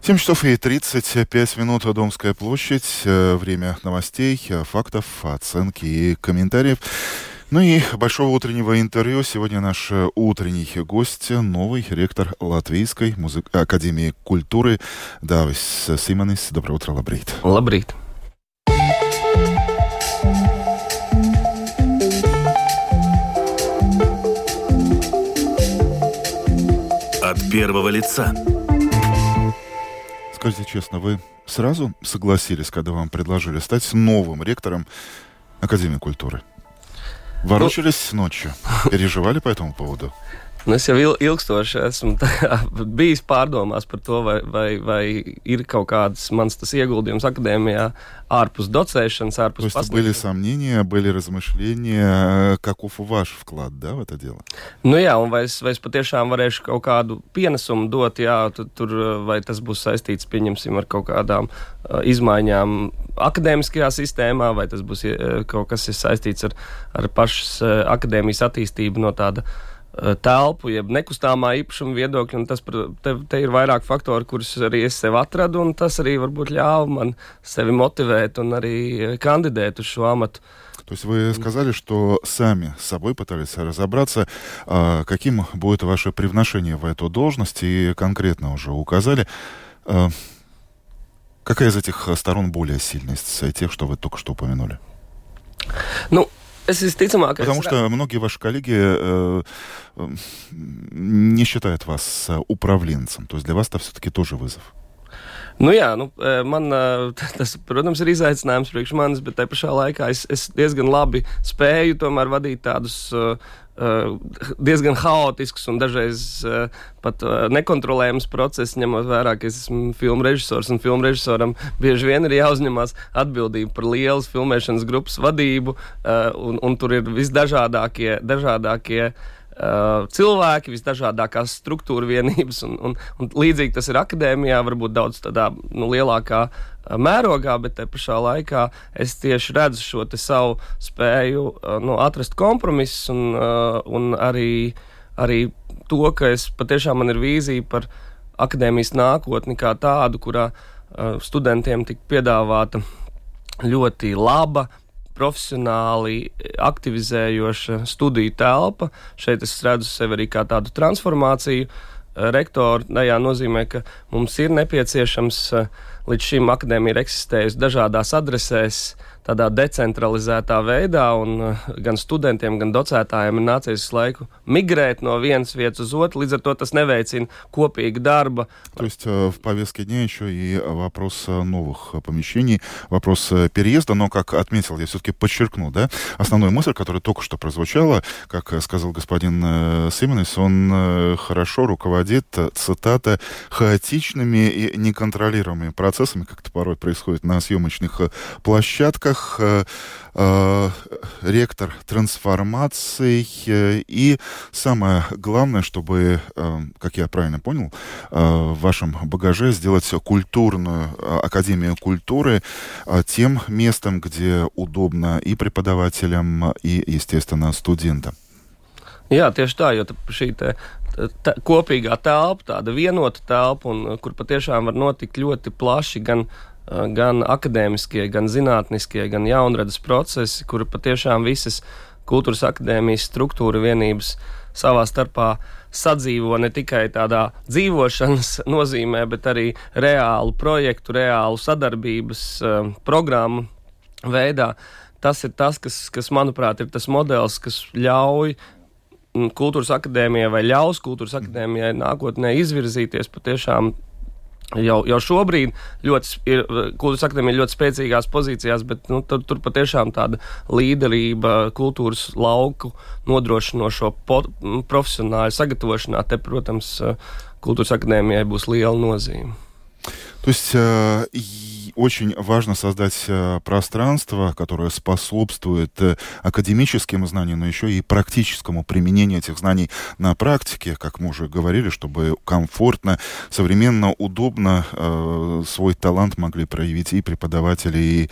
7 часов и 35 минут. Домская площадь. Время новостей, фактов, оценки и комментариев. Ну и большого утреннего интервью. Сегодня наш утренний гость, новый ректор Латвийской академии культуры Дāvis Simonis. Доброе утро, лабрīt. Лабрīt. От первого лица. Скажите честно, вы сразу согласились, когда вам предложили стать новым ректором Академии культуры? Ворочались ночью? Переживали по этому поводу? Es jau ilgstoši esmu bijis pārdomās par to, vai ir kaut kāds mans tas ieguldījums akadēmijā ārpus docēšanas, ārpus pasniegšanas. То есть были сомнения, были размышления, каков ваш вклад, да, в это дело? Nu jā, un vai es patiešām varēšu kaut kādu pienesumu dot, jā, tur vai tas būs saistīts, pieņemsim, ar kaut kādām izmaiņām akadēmiskajā sistēmā, vai tas būs kaut kas saistīts ar pašas akadēmijas attīstību no tāda telpu, jeb nekustāmā īpašuma viedokļa, un tas, te ir vairāk faktori, kurus arī es sev atradu, un tas arī varbūt ļāva man sevi мотивēt un arī кандидēt uz šo амату. То есть вы сказали, что сами с собой пытались разобраться, каким будет ваше привношение в эту должность, и конкретно уже указали, какая из этих сторон более сильная из тех, что вы только что упомянули? Ну, потому что многие ваши коллеги не считают вас управленцем. То есть для вас это все-таки тоже вызов. Nu jā, tas, protams, ir izaicinājums priekš manis, bet tai pašā laikā es diezgan labi spēju tomēr vadīt tādus diezgan haotiskus un dažreiz pat nekontrolējams procesus, ņemot vērā, ka es esmu filmu režisors, un filmu režisoram bieži vien ir jāuzņemās atbildība par lielas filmēšanas grupas vadību, un tur ir visdažādākie cilvēki, visdažādākās struktūra vienības, un līdzīgi tas ir akadēmijā, varbūt daudz tādā lielākā mērogā, bet te pašā laikā es tieši redzu šo te savu spēju atrast kompromisus un arī to, ka es patiešām man ir vīzija par akadēmijas nākotni kā tādu, kurā studentiem tik piedāvāta ļoti laba, profesionāli aktivizējoša studiju telpa. Šeit es redzu sevi arī kā tādu transformāciju rektoru. Tajā nozīmē, ka mums ir nepieciešams līdz šim akadēmija ir eksistējusi dažādās adresēs, tādā decentralizētā veidā, un gan studentiem, gan docētājiem ir nācies laiku migrēt no vienas vietas uz otru, līdz ar to tas neveicina kopīga darба. То есть в повестке дня еще и вопрос новых помещений, вопрос переезда, но, как отметил, я все-таки подчеркну, да, основную мысль, которая только что прозвучала, как сказал господин Симонис, он хорошо руководит, цитата, хаотичными и неконтролируемыми процессами, как это порой происходит на съемочных площадках, ректор трансформаций, и самое главное, чтобы, как я правильно понял, в вашем багаже сделать культурную академию культуры тем местом, где удобно и преподавателям, и, естественно, студентам. Jā, tieši tā, jo šī kopīgā telpa, tāda vienota telpa, un kur patiešām var notikt ļoti plaši gan akadēmiskie, gan zinātniskie, gan jaunradas procesi, kur patiešām visas kultūras akadēmijas struktūra vienības savā starpā sadzīvo ne tikai tādā dzīvošanas nozīmē, bet arī reālu projektu, reālu sadarbības programmu veidā. Tas ir tas, kas manuprāt, ir tas modelis, kas ļauj kultūras akadēmijai vai ļaus kultūras akadēmijai nākotnē izvirzīties patiešām jau šobrīd kultūras akadēmija ļoti spēcīgās pozīcijās, bet tur patiešām tāda līderība kultūras lauku nodrošinošo profesionāļu sagatavošanā, te, protams, kultūras akadēmijai būs liela nozīme. То есть очень важно создать пространство, которое способствует академическим знаниям, но еще и практическому применению этих знаний на практике, как мы уже говорили, чтобы комфортно, современно, удобно свой талант могли проявить и преподаватели, и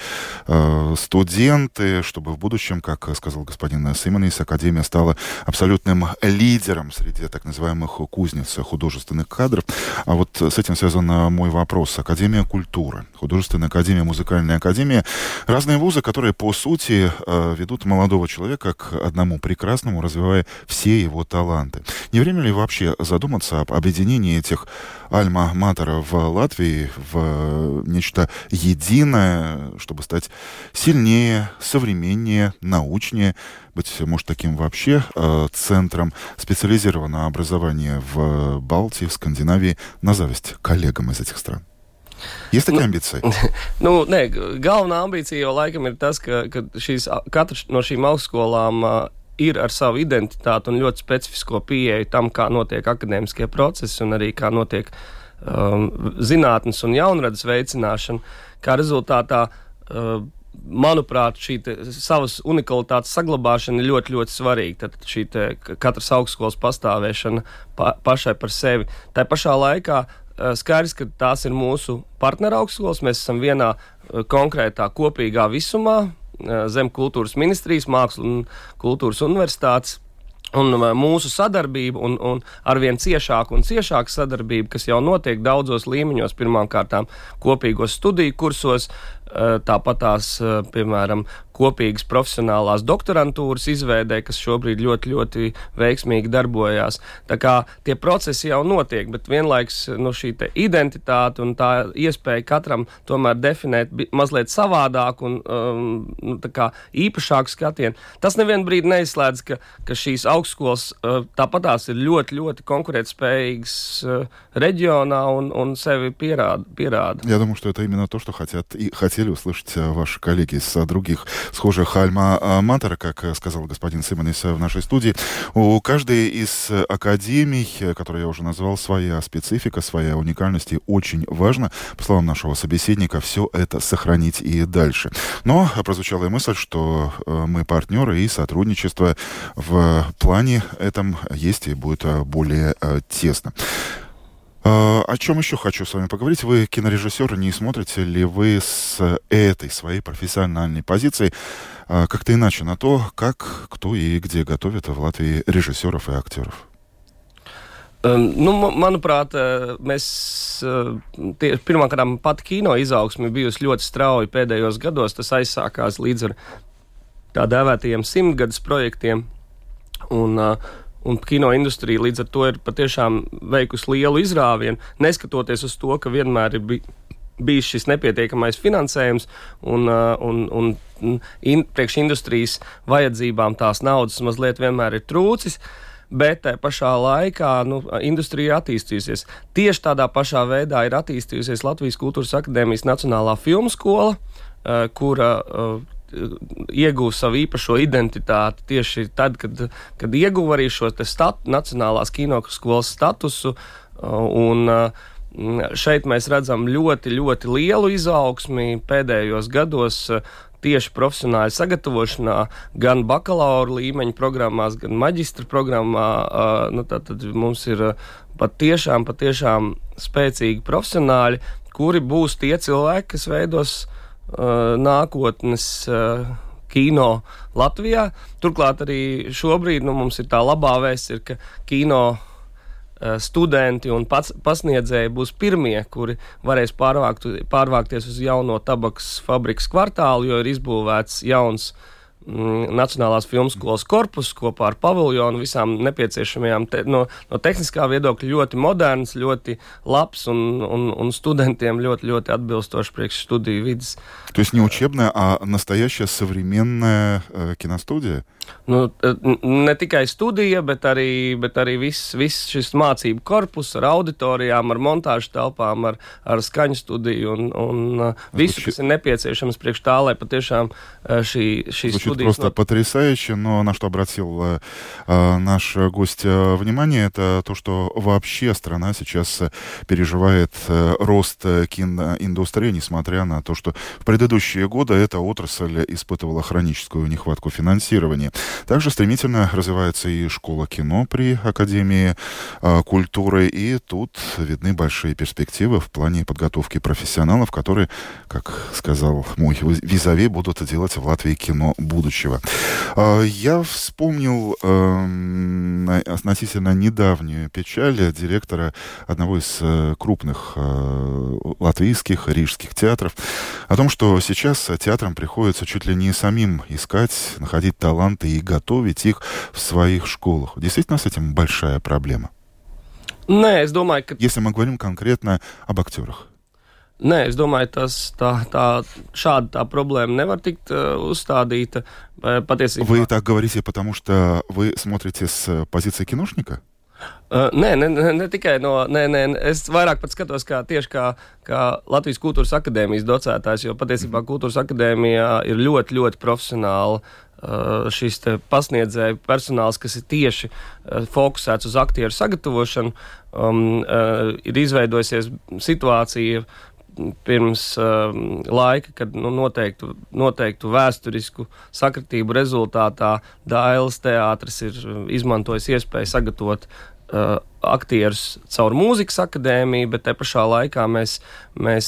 студенты, чтобы в будущем, как сказал господин Симонис, Академия стала абсолютным лидером среди так называемых кузнец художественных кадров. А вот с этим связан мой вопрос. Академия культуры, художественная академия, музыкальная академия. Разные вузы, которые, по сути, ведут молодого человека к одному прекрасному, развивая все его таланты. Не время ли вообще задуматься об объединении этих альма-матеров в Латвии в нечто единое, чтобы стать сильнее, современнее, научнее, быть может таким вообще центром специализированного образования в Балтии, в Скандинавии, на зависть коллегам из этих стран? Есть такие амбиции? Nē, galvenā ambīcija jau laikam ir tas, ka katra no šīm augstskolām ir ar savu identitāti un ļoti specifisko pieeju tam, kā notiek akadēmiskie procesi un arī kā notiek zinātnes un jaunradas veicināšana. Kā rezultātā, manuprāt, šī savas unikalitātes saglabāšana ir ļoti, ļoti svarīga. Tad šī katras augstskolas pastāvēšana pašai par sevi. Tā pašā laikā skaidrs, ka tās ir mūsu partneru augstskolas. Mēs esam vienā konkrētā kopīgā visumā zem kultūras ministrijas, mākslas un kultūras universitātes. Un mūsu sadarbība un arvien ciešāka un ciešāka sadarbība, kas jau notiek daudzos līmeņos, pirmkārtām kopīgos studiju kursos, tāpat tās, piemēram, kopīgas profesionālās doktorantūras izveidē, kas šobrīd ļoti, ļoti veiksmīgi darbojās. Tā kā tie procesi jau notiek, bet vienlaiks šī identitāte un tā iespēja katram tomēr definēt mazliet savādāk un tā kā īpašāku skatienu. Tas nevienu brīdi neizslēdz, ka šīs augstskolas tāpat tās ir ļoti, ļoti konkurētspējīgas reģionā un sevi pierāda. Я думаю, что это именно то, что хотели услышать ваши коллеги из других схожих альма-матер, как сказал господин Симонис в нашей студии. У каждой из академий, которые я уже назвал, своя специфика, своя уникальность, и очень важно, по словам нашего собеседника, все это сохранить и дальше. Но прозвучала и мысль, что мы партнеры, и сотрудничество в плане этом есть и будет более тесно. О чем еще хочу с вами поговорить? Вы кинорежиссер, не смотрите ли вы с этой своей профессиональной позиции как-то иначе на то, как, кто и где готовит в Латвии режиссеров и актеров? Manuprāt, mēs pirmkārt pat kino izaugsme bijusi ļoti strauja pēdējos gados. Tas aizsākās līdz ar tā dēvētajiem 100-gadus projektiem. Un kino industrija līdz ar to ir patiešām veikusi lielu izrāvienu, neskatoties uz to, ka vienmēr ir bijis šis nepietiekamais finansējums un priekš industrijas vajadzībām tās naudas mazliet vienmēr ir trūcis, bet tā pašā laikā industrija ir attīstījusies. Tieši tādā pašā veidā ir attīstījusies Latvijas Kultūras akadēmijas Nacionālā filmu skola, kura ieguva savu īpašo identitāti tieši tad, kad ieguva arī šo Nacionālās kinoskolas statusu, un šeit mēs redzam ļoti, ļoti lielu izaugsmi pēdējos gados tieši profesionāļu sagatavošanā, gan bakalaura līmeņa programmās, gan maģistra programmā. Tad mums ir patiešām spēcīgi profesionāļi, kuri būs tie cilvēki, kas veidos nākotnes kino Latvijā. Turklāt arī šobrīd mums ir tā labā vēsts, ka kino studenti un pasniedzēji būs pirmie, kuri varēs pārvākties uz jauno tabakas fabrikas kvartālu, jo ir izbūvēts jauns Nacionālās filmskolas korpus kopā ar paviljonu, visām nepieciešamajām no tehniskā viedokļa ļoti moderns, ļoti labs un studentiem ļoti, ļoti atbilstoši priekš studiju vidas. То есть не учебная, а настоящая современная киностудия? Ne tikai studija, bet arī viss šis mācību korpus ar auditorijām, ar montāžu telpām, ar skaņu studiju un visu, kas ir nepieciešams priekš tā, lai patiešām šī Звучит просто потрясающе, но на что обратил наш гость внимание, это то, что вообще страна сейчас переживает рост киноиндустрии, несмотря на то, что в предыдущие годы эта отрасль испытывала хроническую нехватку финансирования. Также стремительно развивается и школа кино при Академии культуры, и тут видны большие перспективы в плане подготовки профессионалов, которые, как сказал мой визави, будут делать в Латвии кино будущего. Я вспомнил относительно недавнюю печаль директора одного из крупных латвийских, рижских театров о том, что сейчас театрам приходится чуть ли не самим искать, находить таланты и готовить их в своих школах. Действительно, с этим большая проблема? Nē, es domāju, ka... Если мы говорим конкретно об актерах. Nē, es domāju, šāda tā problēma nevar tikt uzstādīta. Patiesībā... Вы так говорите, потому что вы смотрите с позиции киношника? Ne tikai no... Nē, es vairāk pat skatos tieši kā Latvijas Kultūras akadēmijas docētājs, jo patiesībā Kultūras akadēmijā ir ļoti, ļoti profesionāli šis te pasniedzēju personāls, kas ir tieši fokusēts uz aktieru sagatavošanu. Ir izveidojusies situācija pirms laika, kad noteiktu vēsturisku sakritību rezultātā Dailes teātris ir izmantojis iespēju sagatavot aktierus caur mūzikas akadēmiju, bet te pašā laikā mēs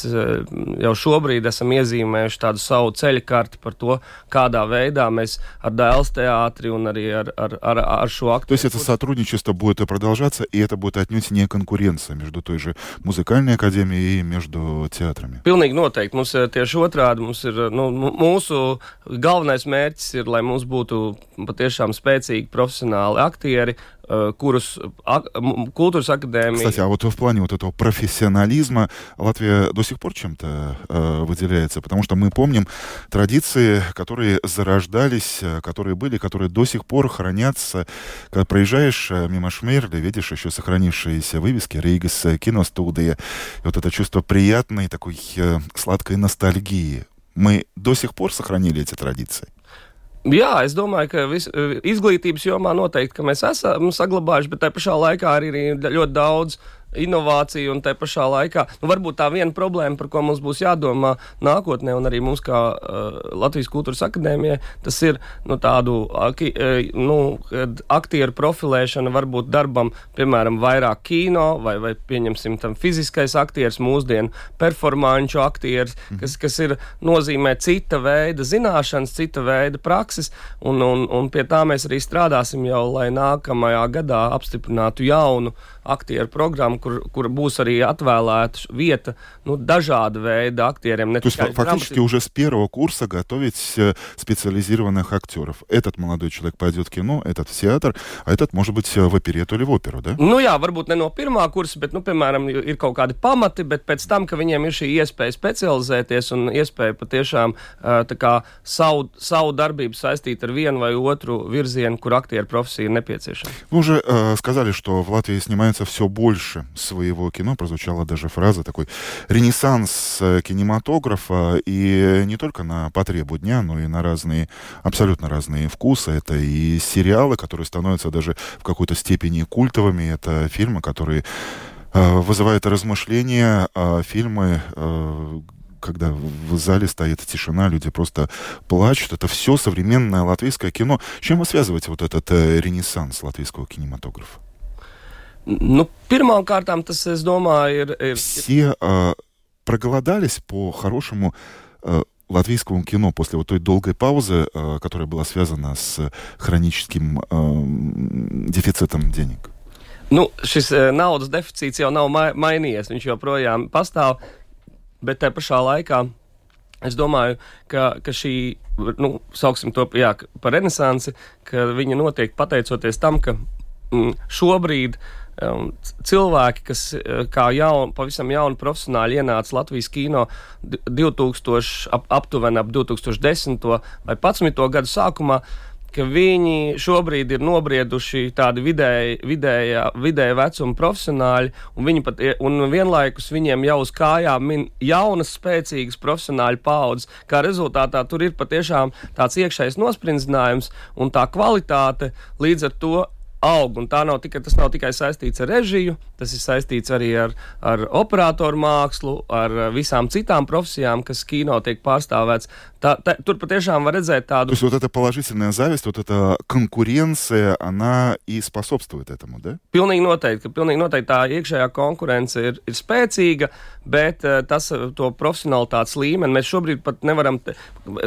jau šobrīd esam iezīmējuši tādu savu ceļkarti par to, kādā veidā mēs ar Dailes театре un arī ar šo aktīvu. То есть это сотрудничество будет продолжаться, и это будет отнюдь не конкуренция между той же музыкальной академией и между театрами? Pilnīgi noteikti. Mums tieši otrādi, mūsu galvenais mērķis ir, lai mums būtu patiešām spēcīgi profesionāli aktieri, kurus Kultūras академии. Кстати, а вот в плане вот этого профессионализма Латвия до сих пор чем-то выделяется, потому что мы помним традиции, которые зарождались, которые были, которые до сих пор хранятся. Когда проезжаешь мимо Шмерли, видишь еще сохранившиеся вывески «Рейгас киностудия», и вот это чувство приятной такой сладкой ностальгии. Мы до сих пор сохранили эти традиции? Jā, es domāju, ka izglītības jomā noteikti, ka mēs esam saglabājuši, bet tai pašā laikā arī ļoti daudz inovāciju un tai pašā laikā. Varbūt tā viena problēma, par ko mums būs jādomā nākotnē, un arī mums kā Latvijas Kultūras akadēmijai, tas ir tādu aktieru profilēšana varbūt darbam, piemēram, vairāk kino, vai pieņemsim tam fiziskais aktieris, mūsdienu performanču aktieris, kas ir nozīmē cita veida zināšanas, cita veida prakses, un pie tā mēs arī strādāsim jau, lai nākamajā gadā apstiprinātu jaunu aktieru programmu, kur būs arī atvēlēta vieta dažāda veida aktieriem. То есть фактически уже с первого курса готовить специализированных актеров. Этот молодой человек пойдет в кино, этот в театр, а этот, может быть, в оперету или в оперу, да? Jā, varbūt ne no pirmā kursa, bet, piemēram, ir kaut kādi pamati, bet pēc tam, ka viņiem ir šī iespēja specializēties un iespēja patiešām savu darbību saistīt ar vienu vai otru virzienu, kur aktieru profesija ir nepieciešama. Вы уже сказали, что в Латвии снимается все больше своего кино. Прозвучала даже фраза такой ренессанс кинематографа, и не только на потребу дня, но и на абсолютно разные вкусы. Это и сериалы, которые становятся даже в какой-то степени культовыми. Это фильмы, которые вызывают размышления, фильмы, когда в зале стоит тишина, люди просто плачут. Это все современное латвийское кино. С чем вы связываете вот этот ренессанс латвийского кинематографа? Pirmām kārtām tas, es domāju, ir... Все проголодались по хорошему латвийскому кино после вот той долгой паузы, которая была связана с хроническим дефицитом денег. Šis naudas deficīts jau nav mainījies, viņš joprojām pastāv, bet tajā pašā laikā es domāju, ka šī, sauksim to par renesansi, ka viņa notiek pateicoties tam, ka šobrīd cilvēki, kas kā pavisam jauni profesionāļi ienāca Latvijas kino aptuveni ap 2010. vai 11. gadu sākumā, ka viņi šobrīd ir nobrieduši tādi vidēja vecuma profesionāļi, un vienlaikus viņiem jau uz kājām jaunas, spēcīgas profesionāļu paaudzes. Kā rezultātā tur ir patiešām tāds iekšējs nosprindzinājums, un tā kvalitāte līdz ar to aug, un tas nav tikai saistīts ar režiju, tas ir saistīts arī ar operatoru mākslu, ar visām citām profesijām, kas kino tiek pārstāvēts. Tur patiešām var redzēt tāду... То есть вот эта положительная зависть, вот эта конкуренция, она и способствует этому, да? Pilnīgi noteikti tā iekšējā konkurence ir spēcīga, bet to profesionalitātes līmeni mēs šobrīd pat nevaram,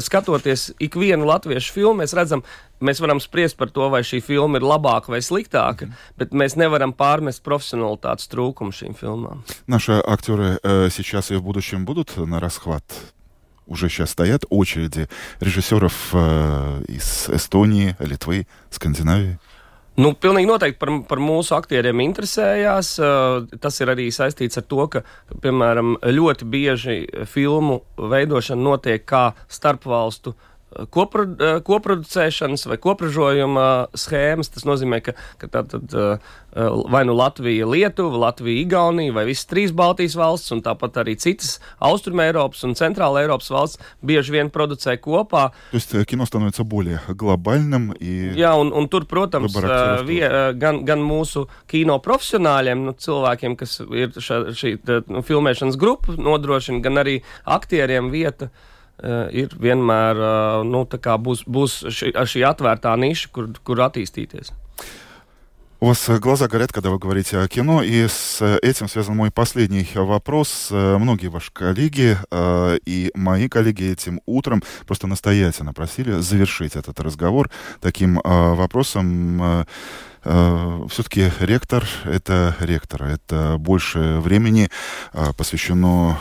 skatoties ikvienu latviešu filmu, mēs varam spriest par to, vai šī filma ir labāka vai sliktāka, bet mēs nevaram pārmest profesionalitātes trūkumu šīm filmām. Наши актеры сейчас и в будущем будут на расхват? Уже сейчас стоят очереди режиссеров из Эстонии, Литвы, Скандинавии? Pilnīgi noteikti par mūsu aktieriem interesējās. Tas ir arī saistīts ar to, ka, piemēram, ļoti bieži filmu veidošana notiek kā starpvalstu koproducēšanas vai kopražojuma schēmas. Tas nozīmē, ka tātad vai nu Latvija, Lietuva, Latvija, Igaunija vai visas 3 Baltijas valsts un tāpat arī citas Austruma Eiropas un Centrāla Eiropas valsts bieži vien producē kopā. То есть кино становится более глобальным и... Jā, un tur, protams, gan mūsu kino profesionāļiem, cilvēkiem, kas ir šī filmēšanas grupa nodrošina, gan arī aktieriem vieta ir vienmēr, būs šī atvērtā niša, kur attīstīties. У вас глаза горят, когда вы говорите о кино, и с этим связан мой последний вопрос. Многие ваши коллеги и мои коллеги этим утром просто настоятельно просили завершить этот разговор таким вопросом. Все-таки ректор — это ректор. Это больше времени посвящено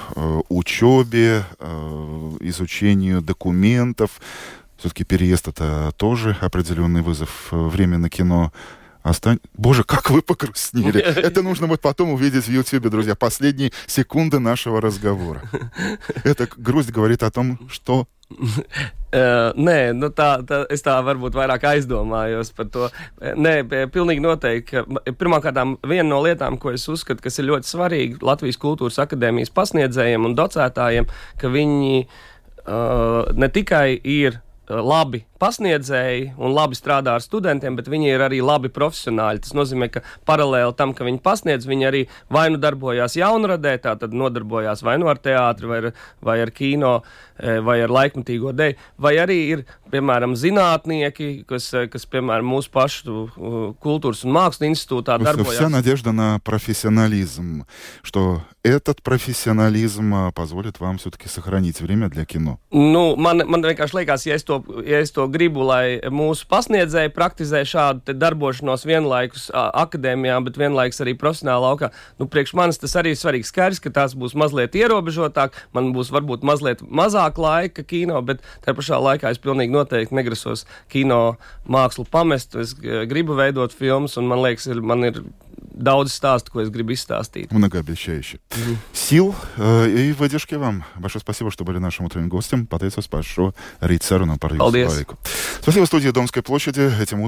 учебе, изучению документов. Все-таки переезд — это тоже определенный вызов. Время на кино Боже, как вы погрустнели. Это нужно будет потом увидеть в Ютьюбе, друзья. Последние секунды нашего разговора. Эта грусть говорит о том, что... Nē, es tā varbūt vairāk aizdomājos par to. Nē, pilnīgi noteikti. Pirmkārtām, viena no lietām, ko es uzskatu, kas ir ļoti svarīga Latvijas Kultūras akadēmijas pasniedzējiem un docētājiem, ka viņi ne tikai ir labi pasniedzēji un labi strādā ar studentiem, bet viņi ir arī labi profesionāļi. Tas nozīmē, ka paralēli tam, ka viņi pasniedz, viņi arī vai nu darbojās jaunradē, tātad nodarbojās vai nu ar teātri, vai ar kino, vai ar laikmatīgo deju, vai arī ir, piemēram, zinātnieki, kas piemēram, mūsu pašu Kultūras un Mākslas institūtā darbojās. Вся надежда на профессионализм, что этот профессионализм позволит вам все-таки сохранить время для кино. Man vienkārši liekas, ja es to gribu, lai mūsu pasniedzēji praktizē šādu darbošanos vienlaikus akadēmijā, bet vienlaikus arī profesionālā laukā. Priekš manis tas arī ir svarīgs skaidrs, ka tās būs mazliet ierobežotāk, man būs varbūt mazliet mazāk laika kino, bet tajā pašā laikā es pilnīgi noteikti negrasos kino mākslu pamest. Es gribu veidot filmas, un man liekas, man ir daudz stāstu, ko es gribu izstāstīt. Многообещающе. Сил и выдержки вам. Большое спасибо, что были нашим утренним гостем. Pateicos par šo rīt sarunu par jūsu laiku. Спасибо студии Домской площади. Этим утром